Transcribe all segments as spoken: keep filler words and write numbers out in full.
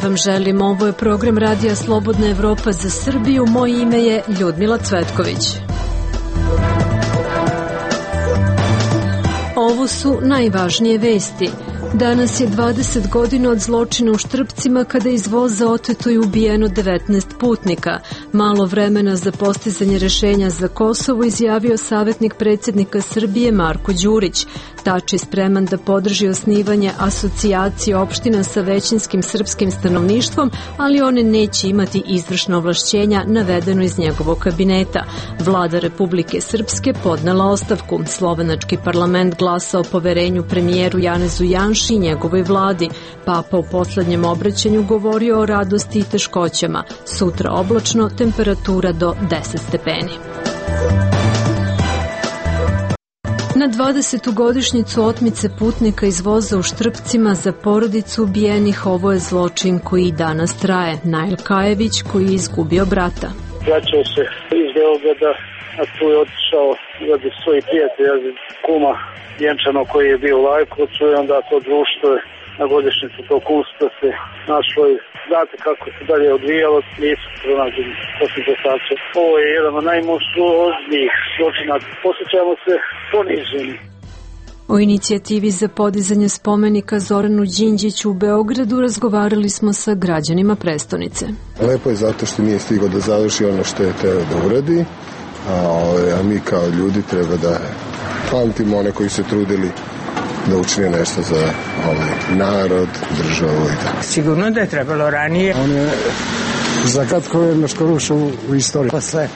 vam želim. Ovo je program Radija Slobodna Evropa za Srbiju. Moje ime je Ljudmila Cvetković. Ovo su najvažnije vesti. Danas je dvadeset godina od zločina u Štrpcima kada je iz voza oteto i ubijeno devetnaest putnika. Malo vremena za postizanje rešenja za Kosovo izjavio savjetnik predsjednika Srbije Marko Đurić. Tači spreman da podrži osnivanje asocijacije opština sa većinskim srpskim stanovništvom, ali one neće imati izvršna ovlašćenja, navedeno iz njegovog kabineta. Vlada Republike Srpske podnela ostavku. Slovenački parlament glasa o poverenju premijeru Janezu Janši i njegovoj vladi. Papa u poslednjem obraćanju govorio o radosti i teškoćama. Sutra oblačno, temperatura do deset stepeni. Na dvadesetu godišnjicu otmice putnika iz voza u Štrpcima za porodicu ubijenih, ovo je zločin koji i danas traje. Nail Kajević koji je izgubio brata. Vraćao se iz Beograda, a tu je otišao radi svojih prijatelja, kuma Jenčano koji je bio u Lajkovcu i onda to društvo je na godišnjicu tog usta se našlo i znate kako se dalje odvijalo, nisu pronađeni poslije dostače. Ovo je jedan od najmonstruoznijih zločina. Osjećamo se poniženi. O inicijativi za podizanje spomenika Zoranu Đinđiću u Beogradu razgovarali smo sa građanima prestonice. Lepo je zato što nije stigao da završi ono što je teo da uradi, a, a mi kao ljudi treba da pamtimo one koji se trudili da učine nešto za ovaj narod, državu i tako. Sigurno da je trebalo ranije. On je za kratko vremeško rušao u istoriji. Posle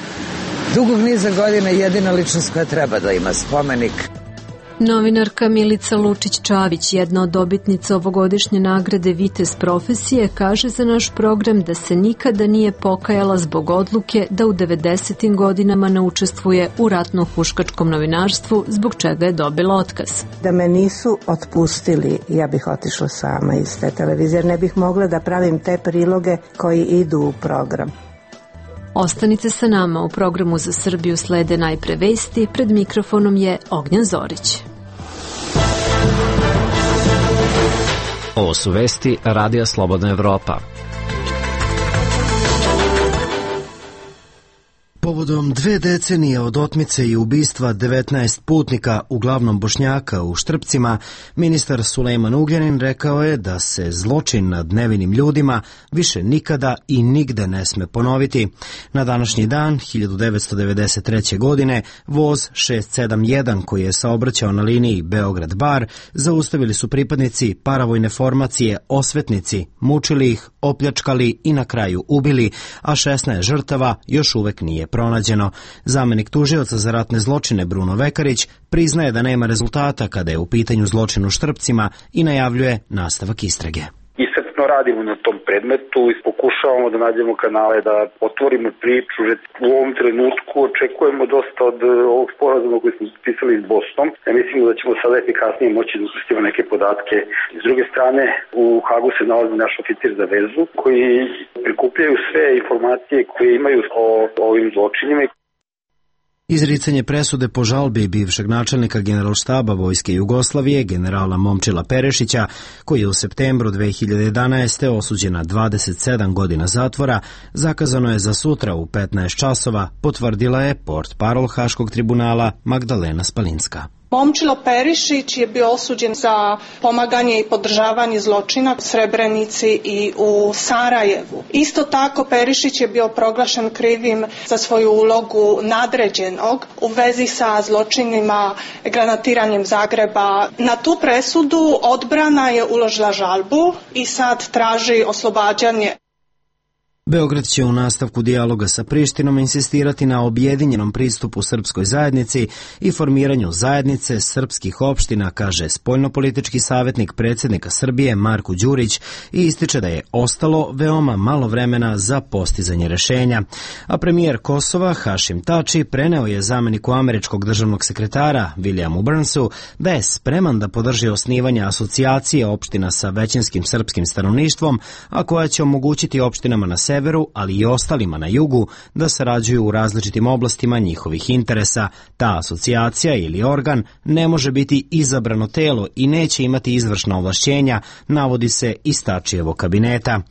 dugog niza godina jedina ličnost koja treba da ima spomenik. Novinarka Milica Lučić-Čavić, jedna od dobitnica ovogodišnje nagrade Vitez profesije, kaže za naš program da se nikada nije pokajala zbog odluke da u devedesetim godinama ne učestvuje u ratno-huškačkom novinarstvu, zbog čega je dobila otkaz. Da me nisu otpustili, ja bih otišla sama iz te televizije, jer ne bih mogla da pravim te priloge koji idu u program. Ostanite sa nama, u programu Za Srbiju slede najpre vesti, pred mikrofonom je Ognjan Zorić. Ovo su vesti Radija Slobodna Evropa. Povodom dve decenije od otmice i ubistva devetnaest putnika, uglavnom Bošnjaka, u Štrpcima, ministar Sulejman Ugljanin rekao je da se zločin nad nevinim ljudima više nikada i nigde ne sme ponoviti. Na današnji dan, hiljadu devetsto devedeset treće. godine, voz šest sedam jedan koji je saobraćao na liniji Beograd-Bar zaustavili su pripadnici paravojne formacije Osvetnici, mučili ih, opljačkali i na kraju ubili, a šesnaest žrtava još uvek nije pronađeno. Zamenik tužioca za ratne zločine Bruno Vekarić priznaje da nema rezultata kada je u pitanju zločin u Štrpcima i najavljuje nastavak istrage. Iscrpno radimo na tom predmetu i pokušavamo da nađemo kanale da otvorimo priču. U ovom trenutku očekujemo dosta od ovog sporazuma koji smo potpisali s Bosnom. Ja mislimo da ćemo sada efikasnije moći da ukrstimo neke podatke. S druge strane, u Hagu se nalazi naš oficir za vezu koji prikupljaju sve informacije koje imaju o ovim zločinima. Izricanje presude po žalbi bivšeg načelnika Generalštaba Vojske Jugoslavije, generala Momčila Perešića, koji je u septembru dve hiljade jedanaeste. osuđen na dvadeset sedam godina zatvora, zakazano je za sutra u petnaest časova, potvrdila je portparol Haškog tribunala Magdalena Spalinska. Momčilo Perišić je bio osuđen za pomaganje i podržavanje zločina u Srebrenici i u Sarajevu. Isto tako Perišić je bio proglašen krivim za svoju ulogu nadređenog u vezi sa zločinima granatiranjem Zagreba. Na tu presudu odbrana je uložila žalbu i sad traži oslobađanje. Beograd će u nastavku dijaloga sa Prištinom insistirati na objedinjenom pristupu srpskoj zajednici i formiranju zajednice srpskih opština, kaže spoljnopolitički savjetnik predsjednika Srbije Marko Đurić i ističe da je ostalo veoma malo vremena za postizanje rešenja. A premijer Kosova Hašim Tači preneo je zameniku američkog državnog sekretara Williamu Burnsu da je spreman da podrži osnivanje asocijacije opština sa većinskim srpskim stanovništvom, a koja će omogućiti opštinama na severu severu, ali i ostalima na jugu, da sarađuju u različitim oblastima njihovih interesa. Ta asocijacija ili organ ne može biti izabrano telo i neće imati izvršna ovlašćenja, navodi se iz Tačijevog kabineta.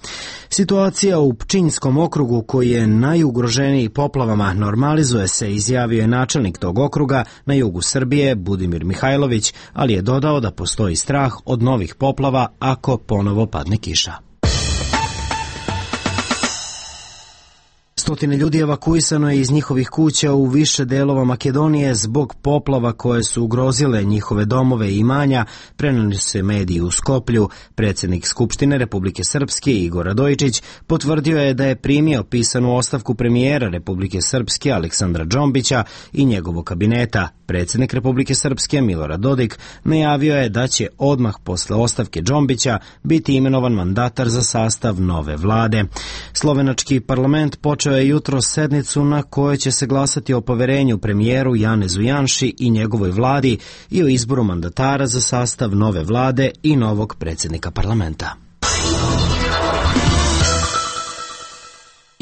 Situacija u Pčinjskom okrugu, koji je najugroženiji poplavama, normalizuje se, izjavio je načelnik tog okruga na jugu Srbije Budimir Mihajlović, ali je dodao da postoji strah od novih poplava ako ponovo padne kiša. Stotine ljudi evakuisano je iz njihovih kuća u više delova Makedonije zbog poplava koje su ugrozile njihove domove i imanja, prenose mediji u Skoplju. Predsjednik Skupštine Republike Srpske Igor Radojičić potvrdio je da je primio pisanu ostavku premijera Republike Srpske Aleksandra Džombića i njegovog kabineta. Predsjednik Republike Srpske Milorad Dodik najavio je da će odmah posle ostavke Džombića biti imenovan mandatar za sastav nove vlade. Slovenački parlament počeo je jutro sednicu na kojoj će se glasati o poverenju premijeru Janezu Janši i njegovoj vladi i o izboru mandatara za sastav nove vlade i novog predsjednika parlamenta.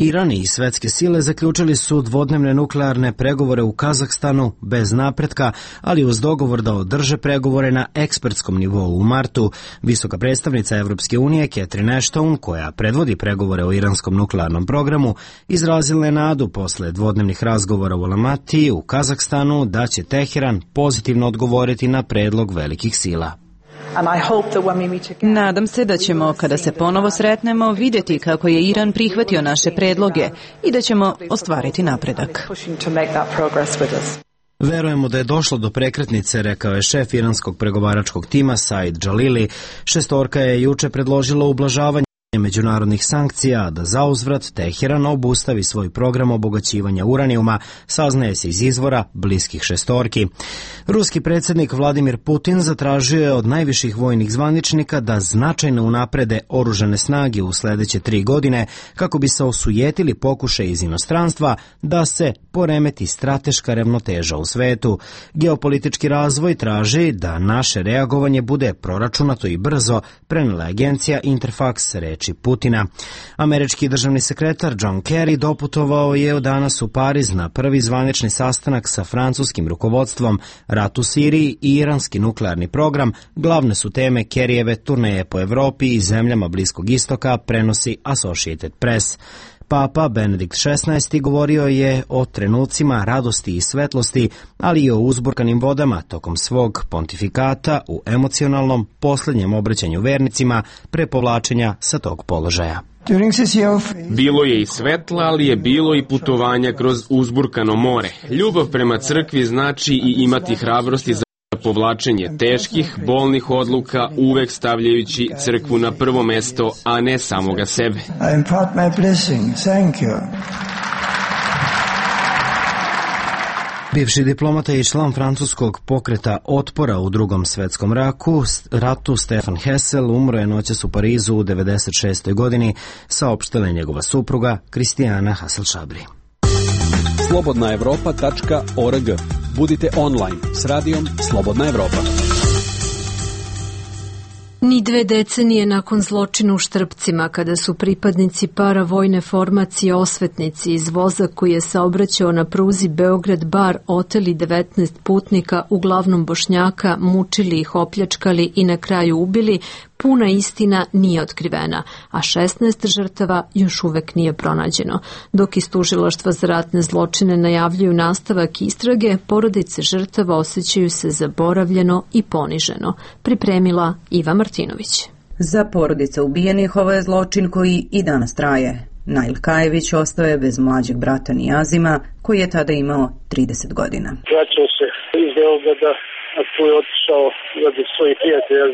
Iran i svetske sile zaključili su dvodnevne nuklearne pregovore u Kazahstanu bez napretka, ali uz dogovor da održe pregovore na ekspertskom nivou u martu. Visoka predstavnica Evropske unije Catherine Ashton, koja predvodi pregovore o iranskom nuklearnom programu, izrazila je nadu posle dvodnevnih razgovora u Almatiji u Kazahstanu da će Teheran pozitivno odgovoriti na predlog velikih sila. Nadam se da ćemo, kada se ponovo sretnemo, vidjeti kako je Iran prihvatio naše predloge i da ćemo ostvariti napredak. Verujemo da je došlo do prekretnice, rekao je šef iranskog pregovaračkog tima Said Džalili. Šestorka je juče predložila ublažavanje međunarodnih sankcija, da zauzvrat Teheran obustavi svoj program obogaćivanja uranijuma, saznaje se iz izvora bliskih šestorki. Ruski predsjednik Vladimir Putin zatražio je od najviših vojnih zvaničnika da značajno unaprede oružane snage u sledeće tri godine kako bi se osujetili pokušaj iz inostranstva da se poremeti strateška ravnoteža u svetu. Geopolitički razvoj traži da naše reagovanje bude proračunato i brzo, prenela agencija Interfax reči Putina. Američki državni sekretar John Kerry doputovao je danas u Pariz na prvi zvanični sastanak sa francuskim rukovodstvom. Rat u Siriji i iranski nuklearni program glavne su teme Kerryjeve turneje po Evropi i zemljama Bliskog istoka, prenosi Associated Press. Papa Benedikt šesnaesti govorio je o trenucima radosti i svetlosti, ali i o uzburkanim vodama tokom svog pontifikata u emocionalnom posljednjem obraćanju vernicima pre povlačenja sa tog položaja. Bilo je i svetla, ali je bilo i putovanja kroz uzburkano more. Ljubav prema crkvi znači i imati hrabrosti za povlačenje teških, bolnih odluka, uvek stavljajući crkvu na prvo mesto, a ne samoga sebe. Bivši diplomata i član francuskog pokreta otpora u Drugom svetskom raku, ratu Stefan Hessel umro je noćas u Parizu u devedeset šestoj godini, saopštila je njegova supruga Kristijana Hasel-Šabri. slobodna evropa tačka org. Budite online s radijom Slobodna Evropa. Ni dve decenije nakon zločina u Štrpcima, kada su pripadnici paravojne formacije osvetnici iz voza koji je saobraćao na pruzi Beograd-Bar oteli devetnaest putnika, uglavnom Bošnjaka, mučili ih, opljačkali i na kraju ubili, puna istina nije otkrivena, a šesnaest žrtava još uvek nije pronađeno. Dok iz tužilaštva za ratne zločine najavljuju nastavak istrage, porodice žrtava osjećaju se zaboravljeno i poniženo. Pripremila Iva Martinović. Za porodice ubijenih ovo je zločin koji i danas traje. Nail Kajević ostao je bez mlađeg brata Nijazima, koji je tada imao trideset godina. Vraćao se iz Beograda, a tu je otišao radi svojih prijatelja,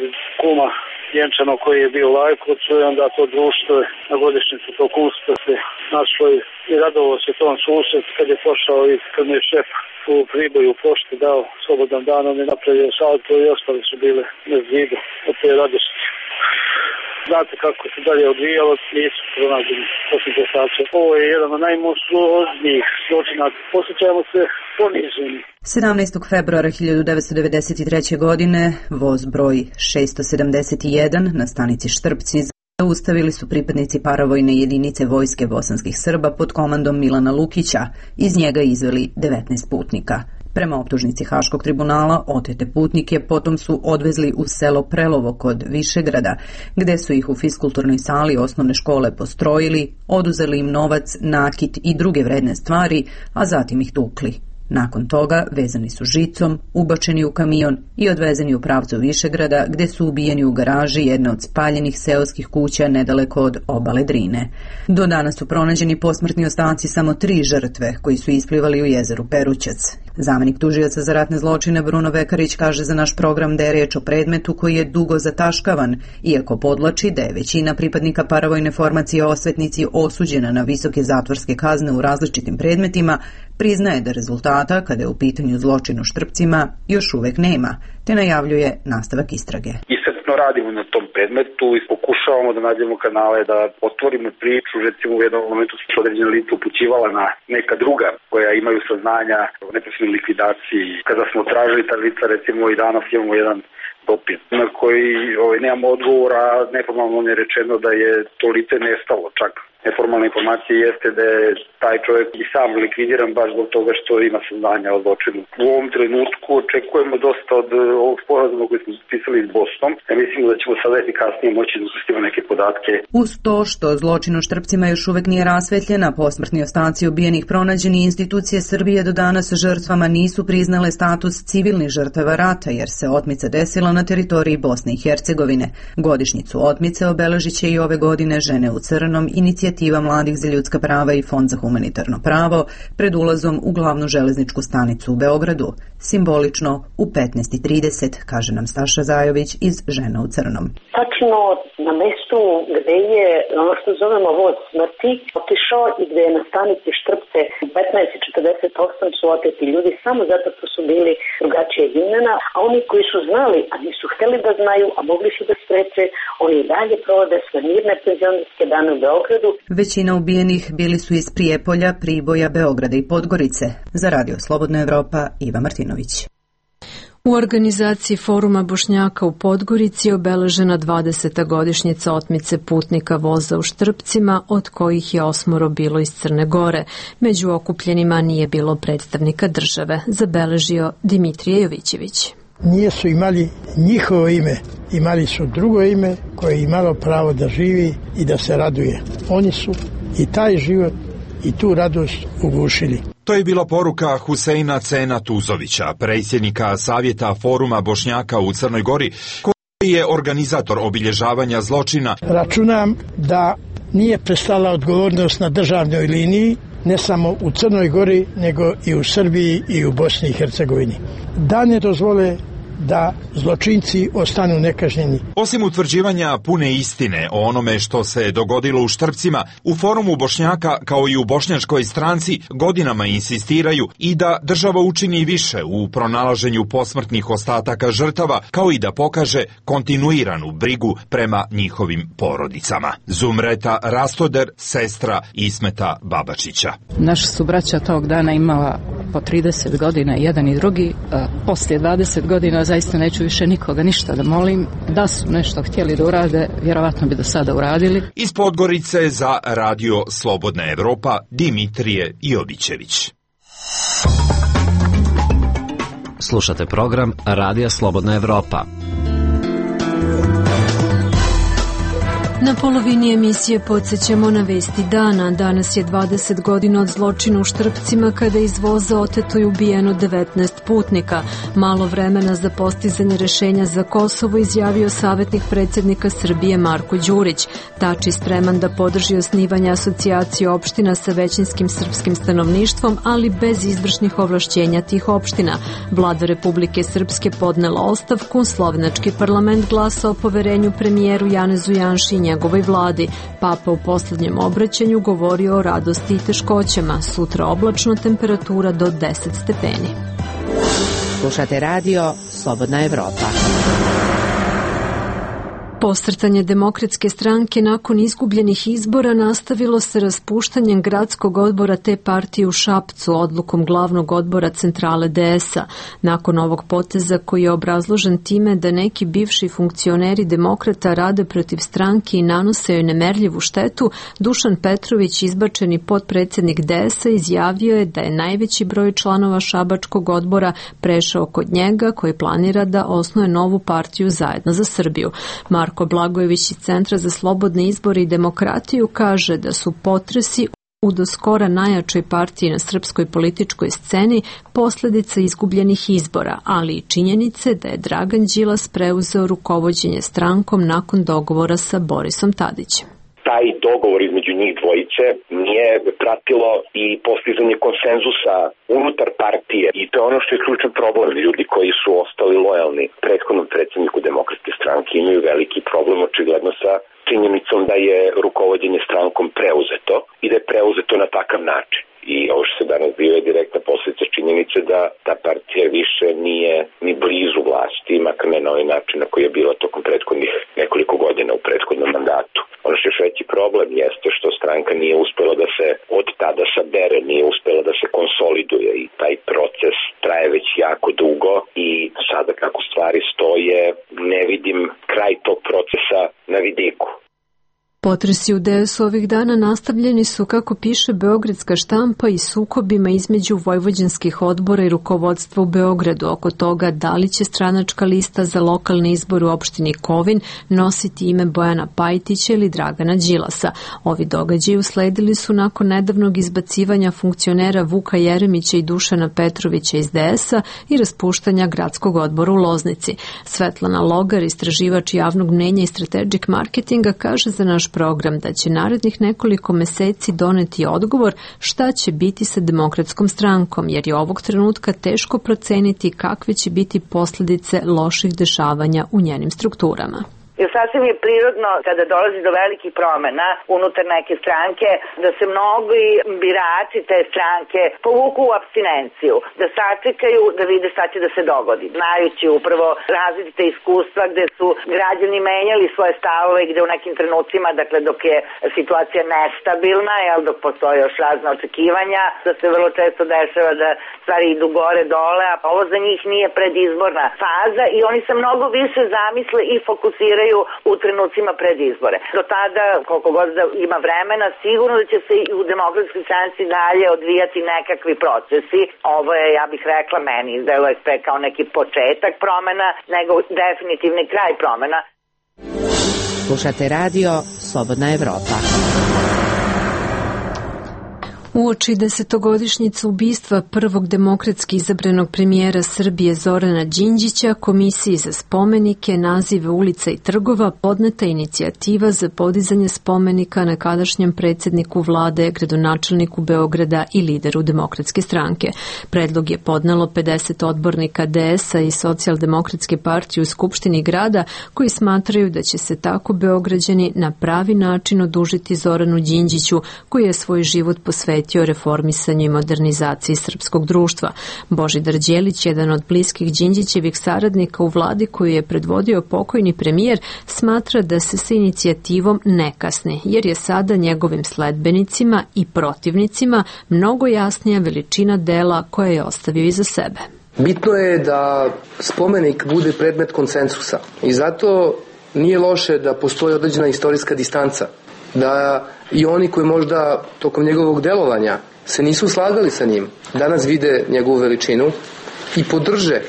kuma Jenčano koji je bio u Lajkovcu, i onda to društvo na godišnjicu tog kumstva se našlo i radovao se tom susret kad je pošao i kad mu je šef u Priboju u pošti dao slobodan dan, on je napravio salto i ostali su bile bez vida od te radosti. Znate kako se dalje odvijalo, nisu pronađeni posljedice. Ovo je jedan od najmonstruoznijih zločina. Posjećamo se poniženi. sedamnaestog februara hiljadu devetsto devedeset treće. godine voz broj šesto sedamdeset jedan na stanici Štrpci zaustavili su pripadnici paravojne jedinice vojske bosanskih Srba pod komandom Milana Lukića. Iz njega izveli devetnaest putnika. Prema optužnici Haškog tribunala, otete putnike potom su odvezli u selo Prelovo kod Višegrada, gde su ih u fiskulturnoj sali osnovne škole postrojili, oduzeli im novac, nakit i druge vredne stvari, a zatim ih tukli. Nakon toga vezani su žicom, ubačeni u kamion i odvezeni u pravcu Višegrada, gde su ubijeni u garaži jedne od spaljenih seoskih kuća nedaleko od obale Drine. Do danas su pronađeni posmrtni ostaci samo tri žrtve koji su isplivali u jezeru Perućac. Zamenik tužioca za ratne zločine Bruno Vekarić kaže za naš program da je riječ o predmetu koji je dugo zataškavan, iako podvlači da je većina pripadnika paravojne formacije osvetnici osuđena na visoke zatvorske kazne u različitim predmetima, priznaje da rezultata, kada je u pitanju zločin u Štrpcima, još uvek nema, te najavljuje nastavak istrage. Iscrpno radimo na tom predmetu i pokušavamo da nađemo kanale da otvorimo priču. Recimo u jednom momentu su određena lica upućivala na neka druga koja imaju saznanja o neposrednoj likvidaciji. Kada smo tražili ta lica, recimo i danas imamo jedan dopis na koji ovaj, nemamo odgovora, neformalno je rečeno da je to lice nestalo čak. Neformalna informacija jeste da je taj čovjek i sam likvidiran baš zbog toga što ima saznanja o zločinu. U ovom trenutku očekujemo dosta od ovog sporazuma koji smo potpisali s Bosnom. Ja mislim da ćemo sada efikasnije moći da ukrstimo neke podatke. Uz to što zločin u Štrpcima još uvek nije rasvetljena, posmrtni ostaci ubijenih pronađeni, institucije Srbije do danas žrtvama nisu priznale status civilnih žrtava rata, jer se otmica desila na teritoriji Bosne i Hercegovine. Godišnjicu otmice obeležit će i ove godine Žene u crnom, inicijativa mladih za ljudska prava i Fond za humanitarno pravo pred ulazom u glavnu železničku stanicu u Beogradu, simbolično u petnaest i trideset, kaže nam Staša Zajović iz Žena u crnom. Tačno na mestu gde je ono što zovemo voz smrti otišao i gde je na stanici Štrpce u petnaest i četrdeset osam su oteti ljudi samo zato što su bili drugačijeg imena, a oni koji su znali, a nisu hteli da znaju, a mogli su da spreče, oni i dalje provode sve mirne penzionerske dane u Beogradu. Većina ubijenih bili su iz Prijepolja, Priboja, Beograda i Podgorice. Za Radio Slobodna Evropa, Iva Martinović. U organizaciji Foruma Bošnjaka u Podgorici je obeležena dvadeseta godišnjica otmice putnika voza u Štrpcima, od kojih je osmoro bilo iz Crne Gore. Među okupljenima nije bilo predstavnika države, zabeležio Dimitrije Jovićević. Nije su imali njihovo ime, imali su drugo ime koje je imalo pravo da živi i da se raduje. Oni su i taj život i tu radost ugušili. To je bila poruka Huseina Cena Tuzovića, predsjednika Savjeta Foruma Bošnjaka u Crnoj Gori, koji je organizator obilježavanja zločina. Računam da nije prestala odgovornost na državnoj liniji, ne samo u Crnoj Gori, nego i u Srbiji i u Bosni i Hercegovini. Da ne dozvole da zločinci ostanu nekažnjeni. Osim utvrđivanja pune istine o onome što se dogodilo u Štrpcima, u Forumu Bošnjaka kao i u bošnjačkoj stranci godinama insistiraju i da država učini više u pronalaženju posmrtnih ostataka žrtava, kao i da pokaže kontinuiranu brigu prema njihovim porodicama. Zumreta Rastoder, sestra Ismeta Babačića. Naša su braća tog dana imala po trideset godina, jedan i drugi. Poslije dvadeset godina zaista neću više nikoga ništa da molim. Da su nešto htjeli da urade, vjerovatno bi do sada uradili. Iz Podgorice za Radio Slobodna Evropa, Dimitrije Jovićević. Slušate program Radija Slobodna Evropa. Na polovini emisije podsjećamo na vesti dana. Danas je dvadeset godina od zločina u Štrpcima kada je iz voza oteto i ubijeno devetnaest putnika. Malo vremena za postizanje rešenja za Kosovo izjavio savjetnik predsjednika Srbije Marko Đurić. Tači spreman da podrži osnivanje asocijacije opština sa većinskim srpskim stanovništvom, ali bez izvršnih ovlašćenja tih opština. Vlada Republike Srpske podnela ostavku, slovenački parlament glasao o poverenju premijeru Janezu Janši i njegovoj vladi. Papa u posljednjem obraćanju govorio o radosti i teškoćama. Sutra oblačno, temperatura do deset stepeni. Slušate radio Slobodna Evropa. Posrtanje Demokratske stranke nakon izgubljenih izbora nastavilo se raspuštanjem gradskog odbora te partije u Šapcu odlukom glavnog odbora centrale D S-a. Nakon ovog poteza koji je obrazložen time da neki bivši funkcioneri demokrata rade protiv stranke i nanose joj nemerljivu štetu, Dušan Petrović, izbačeni potpredsjednik D S-a, izjavio je da je najveći broj članova šabačkog odbora prešao kod njega, koji planira da osnuje novu partiju Zajedno za Srbiju. Marko Blagojević iz Centra za slobodne izbore i demokratiju kaže da su potresi u do skora najjačoj partiji na srpskoj političkoj sceni posljedica izgubljenih izbora, ali i činjenice da je Dragan Đilas preuzeo rukovođenje strankom nakon dogovora sa Borisom Tadićem. Taj dogovor između njih dvojice nije pratilo i postizanje konsenzusa unutar partije i to je ono što je ključan problem. Ljudi koji su ostali lojalni prethodnom predsjedniku Demokratske stranke imaju veliki problem očigledno sa činjenicom da je rukovođenje strankom preuzeto i da je preuzeto na takav način. I ovo što se danas bio je direktna posljedica činjenice da ta partija više nije ni blizu vlasti, makar ne na ovaj način na koji je bila tokom prethodnih nekoliko godina u prethodnom mandatu. Ono što je još veći problem jeste što stranka nije uspela da se od tada sabere, nije uspela da se konsoliduje i taj proces traje već jako dugo i sada kako stvari stoje ne vidim kraj tog procesa na vidiku. Potresi u D S ovih dana nastavljeni su, kako piše beogradska štampa, i sukobima između vojvođanskih odbora i rukovodstva u Beogradu oko toga da li će stranačka lista za lokalni izbor u opštini Kovin nositi ime Bojana Pajtića ili Dragana Đilasa. Ovi događaji usledili su nakon nedavnog izbacivanja funkcionera Vuka Jeremića i Dušana Petrovića iz D S-a i raspuštanja gradskog odbora u Loznici. Svetlana Logar, istraživač javnog mnenja i strategic marketinga, kaže za naš program da će narednih nekoliko meseci doneti odgovor šta će biti sa Demokratskom strankom, jer je ovog trenutka teško proceniti kakve će biti posljedice loših dešavanja u njenim strukturama. Jer sasvim je prirodno kada dolazi do velikih promjena unutar neke stranke da se mnogi birači te stranke povuku u apstinenciju, da sačekaju da vide šta će da se dogodi. Znajući upravo različite iskustva gde su građani menjali svoje stavove i gde u nekim trenucima, dakle dok je situacija nestabilna, jel, dok postoje još razne očekivanja, da se vrlo često dešava da stvari idu gore dole, a ovo za njih nije predizborna faza i oni se mnogo više zamisle i fokusiraju u trenucima pred izbore. Do tada, koliko god da ima vremena, sigurno da će se i u Demokratskoj stranci dalje odvijati nekakvi procesi. Ovo je, ja bih rekla, meni izdeluje sve kao neki početak promena, nego definitivni kraj promena. Slušate radio Slobodna Evropa. Uoči desetogodišnjice ubistva prvog demokratski izabranog premijera Srbije Zorana Đinđića, Komisiji za spomenike, nazive ulica i trgova podneta inicijativa za podizanje spomenika nekadašnjem predsjedniku vlade, gradonačelniku Beograda i lideru Demokratske stranke. Predlog je podnelo pedeset odbornika D S-a i Socijaldemokratske partije u Skupštini grada, koji smatraju da će se tako Beograđani na pravi način odužiti Zoranu Đinđiću, koji je svoj život posvetio o reformisanju i modernizaciji srpskog društva. Božidar Đelić, jedan od bliskih Đinđićevih saradnika u vladi koju je predvodio pokojni premijer, smatra da se sa inicijativom ne kasni, jer je sada njegovim sledbenicima i protivnicima mnogo jasnija veličina dela koje je ostavio iza sebe. Bitno je da spomenik bude predmet konsensusa i zato nije loše da postoji određena istorijska distanca, da i oni koji možda tokom njegovog delovanja se nisu slagali sa njim, danas vide njegovu veličinu i podrže,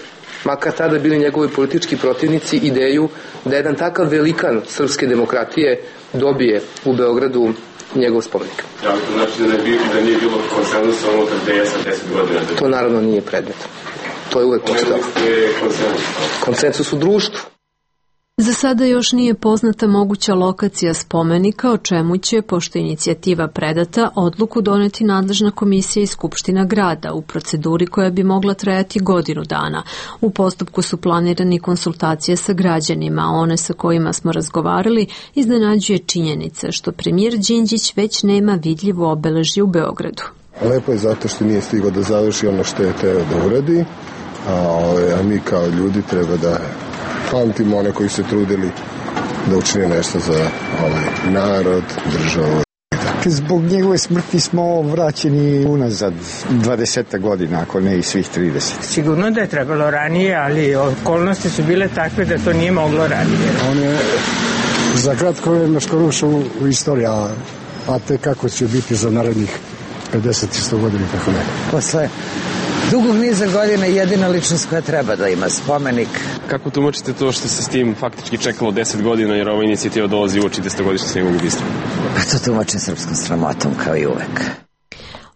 makar tada bili njegovi politički protivnici, ideju da jedan takav velikan srpske demokratije dobije u Beogradu njegov spomenik. Da, to znači da, ne bi, da nije bilo konsenzusa unutar D S-a deset godina? To naravno nije predmet. To je uvek postao. Konsensus u društvu. Za sada još nije poznata moguća lokacija spomenika, o čemu će, pošto je inicijativa predata, odluku doneti nadležna komisija i Skupština grada u proceduri koja bi mogla trajati godinu dana. U postupku su planirani konsultacije sa građanima, a one sa kojima smo razgovarali iznenađuje činjenica što premijer Đinđić već nema vidljivo obeležje u Beogradu. Lepo je zato što nije stigao da završi ono što je teo da uradi, a, a mi kao ljudi treba da pamtimo one koji se trudili da učini nešto za ovaj narod, državu. Zbog njegove smrti smo vraćeni unazad dvadeset godina, ako ne i svih trideset. Sigurno da je trebalo ranije, ali okolnosti su bile takve da to nije moglo ranije. On je za kratko vreme skoro ušao u istoriju, a te kako će biti za narednih pedeset i sto godina, kako ne. Posle dugog niza godina jedina ličnost koja treba da ima spomenik. Kako tumačite to što se s tim faktički čekalo deset godina, jer ova inicijativa dolazi uoči desetogodišnjice njegovog ubistva? Pa to tumačim srpskom sramotom, kao i uvek.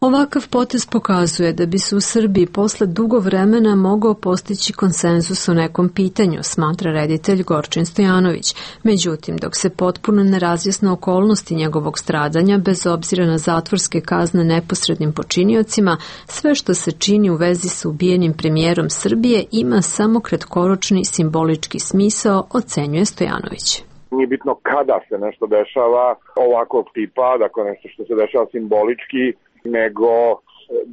Ovakav potez pokazuje da bi se u Srbiji posle dugo vremena mogao postići konsenzus o nekom pitanju, smatra reditelj Gorčin Stojanović. Međutim, dok se potpuno ne razjasne okolnosti njegovog stradanja, bez obzira na zatvorske kazne neposrednim počiniocima, sve što se čini u vezi sa ubijenim premijerom Srbije ima samo kratkoročni simbolički smisao, ocenjuje Stojanović. Nije bitno kada se nešto dešava ovakvog tipa, dakle nešto što se dešava simbolički, nego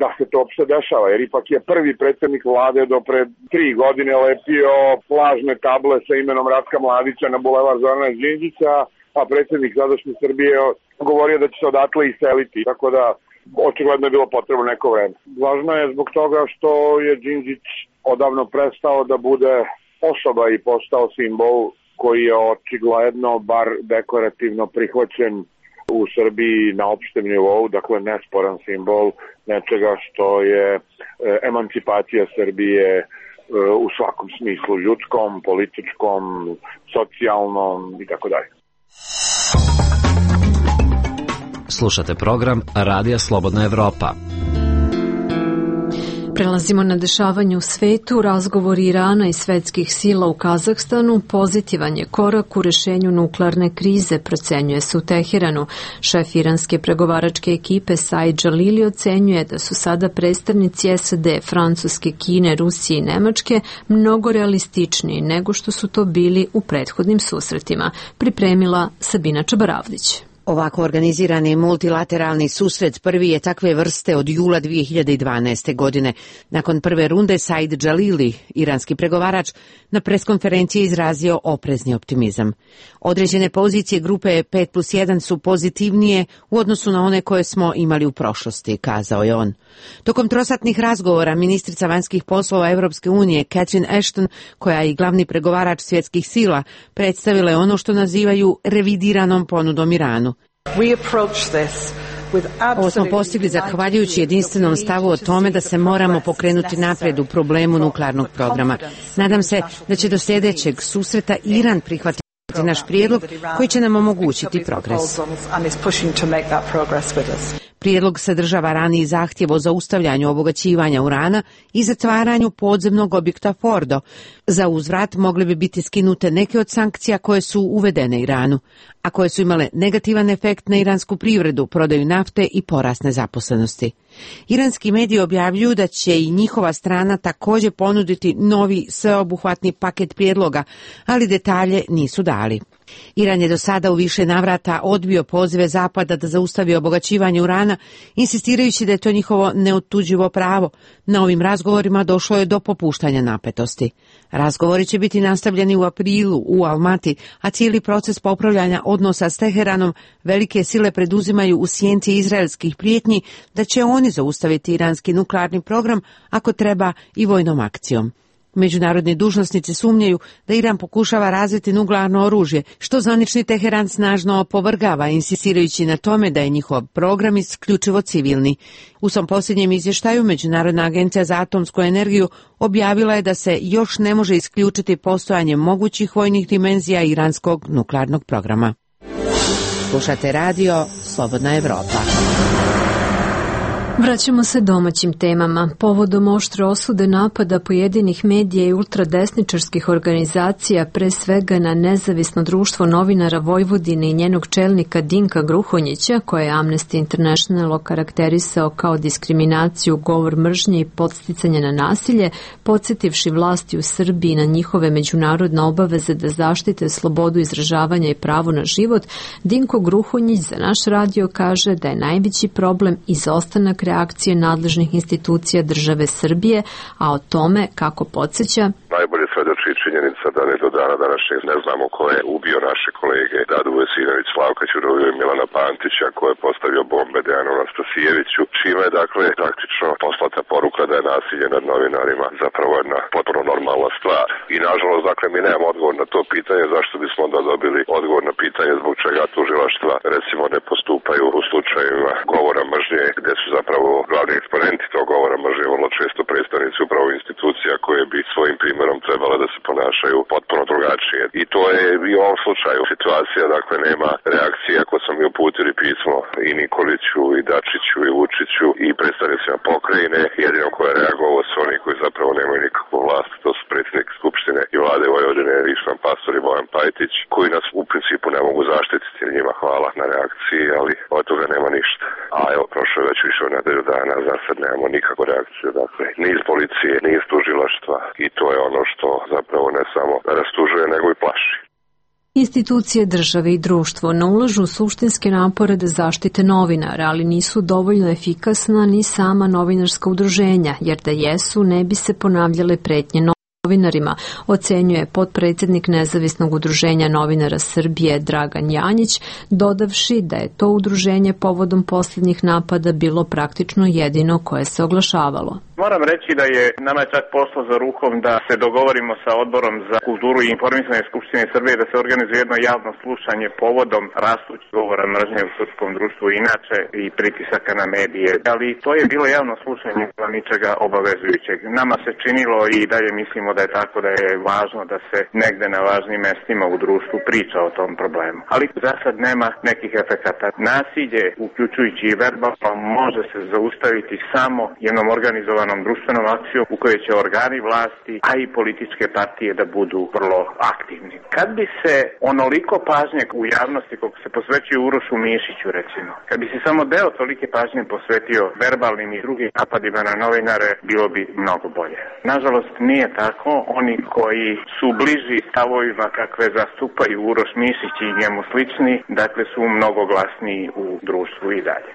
da se to uopšte dešava, jer ipak je prvi predsjednik vlade do pre tri godine lepio plažne table sa imenom Ratka Mladića na bulevar Zorana Đinđića, a predsjednik sadašnje Srbije govorio da će se odatle iseliti, tako da očigledno je bilo potrebno neko vreme. Važno je zbog toga što je Đinđić odavno prestao da bude osoba i postao simbol koji je očigledno, bar dekorativno prihvaćen u Srbiji na opštem nivou, dakle nesporan simbol nečega što je emancipacija Srbije u svakom smislu, ljudskom, političkom, socijalnom i tako dalje. Slušate program Radija Slobodna Evropa. Prelazimo na dešavanje u svetu. Razgovor Irana i svetskih sila u Kazahstanu pozitivan je korak u rešenju nuklearne krize, procenjuje se u Teheranu. Šef iranske pregovaračke ekipe Said Jalili ocenjuje da su sada predstavnici S A D, Francuske, Kine, Rusije i Nemačke mnogo realističniji nego što su to bili u prethodnim susretima, pripremila Sabina Čabaravdić. Ovako organizirani multilateralni susret prvi je takve vrste od jula dvije hiljade dvanaeste. godine. Nakon prve runde Said Jalili, iranski pregovarač, na preskonferenciji izrazio oprezni optimizam. Određene pozicije grupe pet plus jedan su pozitivnije u odnosu na one koje smo imali u prošlosti, kazao je on. Tokom trosatnih razgovora ministrica vanjskih poslova Evropske unije Catherine Ashton, koja je i glavni pregovarač svjetskih sila, predstavila je ono što nazivaju revidiranom ponudom Iranu. Ovo smo postigli zahvaljujući jedinstvenom stavu o tome da se moramo pokrenuti napred u problemu nuklearnog programa. Nadam se da će do sljedećeg susreta Iran prihvatiti naš prijedlog koji će nam omogućiti progres. Prijedlog sadržava raniji zahtjev o zaustavljanju obogaćivanja urana i zatvaranju podzemnog objekta Fordo. Za uzvrat mogle bi biti skinute neke od sankcija koje su uvedene Iranu, a koje su imale negativan efekt na iransku privredu, prodaju nafte i porast nezaposlenosti. Iranski mediji objavljuju da će i njihova strana također ponuditi novi sveobuhvatni paket prijedloga, ali detalje nisu dali. Iran je do sada u više navrata odbio pozive Zapada da zaustavi obogaćivanje urana, insistirajući da je to njihovo neotuđivo pravo. Na ovim razgovorima došlo je do popuštanja napetosti. Razgovori će biti nastavljeni u aprilu u Almati, a cijeli proces popravljanja odnosa s Teheranom velike sile preduzimaju u sjenci izraelskih prijetnji da će oni zaustaviti iranski nuklearni program, ako treba i vojnom akcijom. Međunarodni dužnosnici sumnjaju da Iran pokušava razviti nuklearno oružje, što zvanični Teheran snažno opovrgava, insistirajući na tome da je njihov program isključivo civilni. U svom posljednjem izvještaju Međunarodna agencija za atomsku energiju objavila je da se još ne može isključiti postojanje mogućih vojnih dimenzija iranskog nuklearnog programa. Slušate radio Slobodna Evropa. Vraćamo se domaćim temama. Povodom oštre osude napada pojedinih medija i ultradesničarskih organizacija, pre svega na Nezavisno društvo novinara Vojvodine i njenog čelnika Dinka Gruhonjića, koje je Amnesty International okarakterisao kao diskriminaciju, govor mržnje i podsticanje na nasilje, podsjetivši vlasti u Srbiji na njihove međunarodne obaveze da zaštite slobodu izražavanja i pravo na život, Dinko Gruhonjić za naš radio kaže da je najveći problem izostanak reakcije nadležnih institucija države Srbije, a o tome, kako podsjeća, najbolje svedoči činjenica da ne do dana današnjeg ne znamo ko je ubio naše kolege Dadu Vesinović, Slavka Ćuruviju i Milana Pantića, ko je postavio bombe Dejanu Anastasijeviću, čime je dakle praktično poslata poruka da je nasilje nad novinarima zapravo jedna potpuno normalna stvar. I nažalost, dakle, mi nemamo odgovor na to pitanje, zašto bismo onda dobili odgovor na pitanje zbog čega tužilaštva recimo ne postupaju u slučajevima govora mržnje, gde su zapravo glavni eksponenti tog govora mržnje vrlo često predstavnici upravo institucija koje bi svojim primjerom trebale da se ponašaju potpuno drugačije. I to je i u ovom slučaju situacija, dakle, nema reakcije ako smo mi uputili pismo i Nikoliću, i Dačiću, i Vučiću, i predstavnicima pokrajine. Jedino ko je reagovao su oni koji zapravo nemaju nikakvu vlast, to su predsjednik Skupštine i vlade Vojvodine Ištvan Pastor i Bojan Pajtić, koji nas u principu ne mogu zaštititi. Njima hvala na reakciji, ali od toga nema ništa. A evo, prošlo je već više od nedelju dana, za sad nemamo nikakvu reakciju, dakle, ni iz policije, ni iz tužilaštva, i to je ono što zapravo ne samo rastužuje, nego i plaši. Institucije države i društvo ne ulažu suštinske napore da zaštite novinara, ali nisu dovoljno efikasna ni sama novinarska udruženja, jer da jesu ne bi se ponavljale pretnje novinarima, ocenjuje potpredsjednik Nezavisnog udruženja novinara Srbije Dragan Janjić, dodavši da je to udruženje povodom posljednjih napada bilo praktično jedino koje se oglašavalo. Moram reći da je nama čak pošlo za rukom da se dogovorimo sa Odborom za kulturu i informisanje Skupštine Srbije da se organizuje jedno javno slušanje povodom rastućeg govora mržnje u srpskom društvu inače i pritisaka na medije. Ali to je bilo javno slušanje, ničega obavezujućeg. Nama se činilo i dalje mislimo da je tako da je važno da se negde na važnim mestima u društvu priča o tom problemu. Ali za sad nema nekih efekata. Nasilje, uključujući i verbalno, može se zaustaviti samo jednom organizovanom društvenom akcijom u kojoj će organi vlasti, a i političke partije da budu vrlo aktivni. Kad bi se onoliko pažnje u javnosti koliko se posvećuje Urošu Mišiću, recimo, kad bi se samo deo tolike pažnje posvetio verbalnim i drugim napadima na novinare, bilo bi mnogo bolje. Nažalost, nije tako. Oni koji su bliži stavovima kakve zastupaju Uroš Mišić i njemu slični, dakle su mnogo glasniji u društvu i dalje.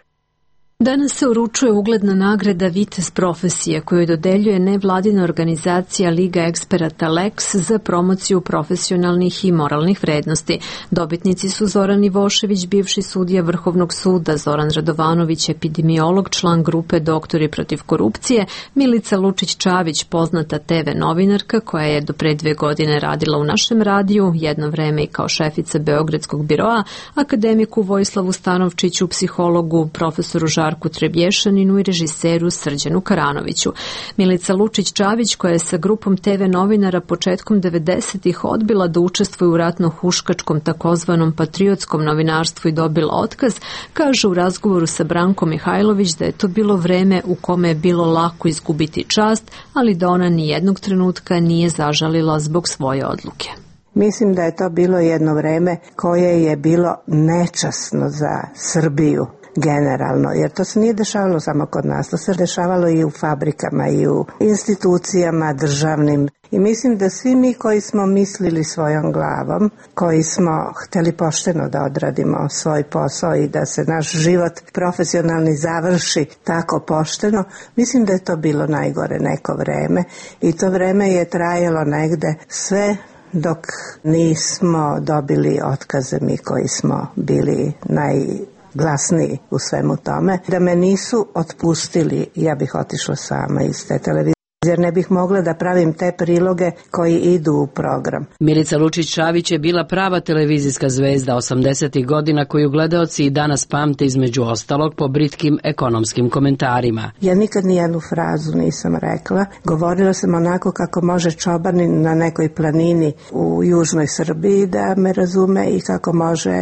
Danas se uručuje ugledna nagrada Vitez profesije koju dodeljuje nevladina organizacija Liga eksperata Lex za promociju profesionalnih i moralnih vrednosti. Dobitnici su Zoran Ivošević, bivši sudija Vrhovnog suda, Zoran Radovanović, epidemiolog, član grupe Doktori protiv korupcije, Milica Lučić-Čavić, poznata te ve novinarka koja je do pre dve godine radila u našem radiju, jedno vreme i kao šefica Beogradskog biroa, akademiku Vojislavu Stanovčiću, psihologu, profesoru Žarku Trebješaninu i režiseru Srđanu Karanoviću. Milica Lučić-Čavić, koja je sa grupom te ve novinara početkom devedesetih odbila da učestvuje u ratno-huškačkom takozvanom patriotskom novinarstvu i dobila otkaz, kaže u razgovoru sa Brankom Mihajlović da je to bilo vreme u kome je bilo lako izgubiti čast, ali da ona ni jednog trenutka nije zažalila zbog svoje odluke. Mislim da je to bilo jedno vreme koje je bilo nečasno za Srbiju generalno, jer to se nije dešavalo samo kod nas, to se dešavalo i u fabrikama i u institucijama državnim. I mislim da svi mi koji smo mislili svojom glavom, koji smo hteli pošteno da odradimo svoj posao i da se naš život profesionalni završi tako pošteno, mislim da je to bilo najgore neko vreme i to vreme je trajalo negde sve dok nismo dobili otkaze mi koji smo bili najglasniji u svemu tome. Da me nisu otpustili, ja bih otišla sama iz te televizije, jer ne bih mogla da pravim te priloge koji idu u program. Milica Lučić-Čavić je bila prava televizijska zvezda osamdesetih godina koju gledaoci i danas pamte između ostalog po britkim ekonomskim komentarima. Ja nikad nijednu frazu nisam rekla. Govorila sam onako kako može čobanin na nekoj planini u južnoj Srbiji da me razume i kako može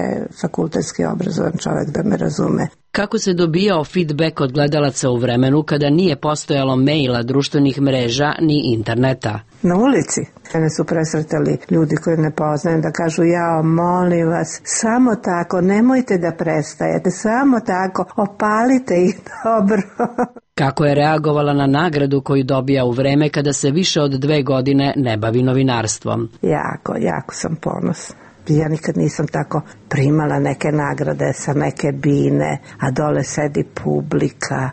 fakultetski obrazovan čovjek da me razume. Kako se dobijao feedback od gledalaca u vremenu kada nije postojalo maila, društvenih mreža ni interneta? Na ulici. Mene su presretali ljudi koji ne poznaju da kažu jao, molim vas, samo tako, nemojte da prestajete, samo tako, opalite ih dobro. Kako je reagovala na nagradu koju dobija u vreme kada se više od dve godine ne bavi novinarstvom? Jako, jako sam ponosna. Ja nikad nisam tako primala neke nagrade sa neke bine, a dole sedi publika.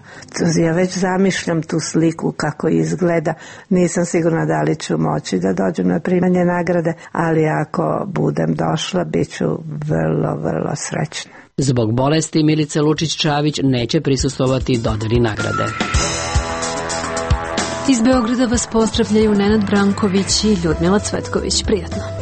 Ja već zamišljam tu sliku kako izgleda. Nisam sigurna da li ću moći da dođem na primanje nagrade, ali ako budem došla, bit ću vrlo, vrlo srećna. Zbog bolesti Milice Lučić-Čavić neće prisustvovati dodeli nagrade. Iz Beograda vas pozdravljaju Nenad Branković i Ljudmila Cvetković. Prijatno.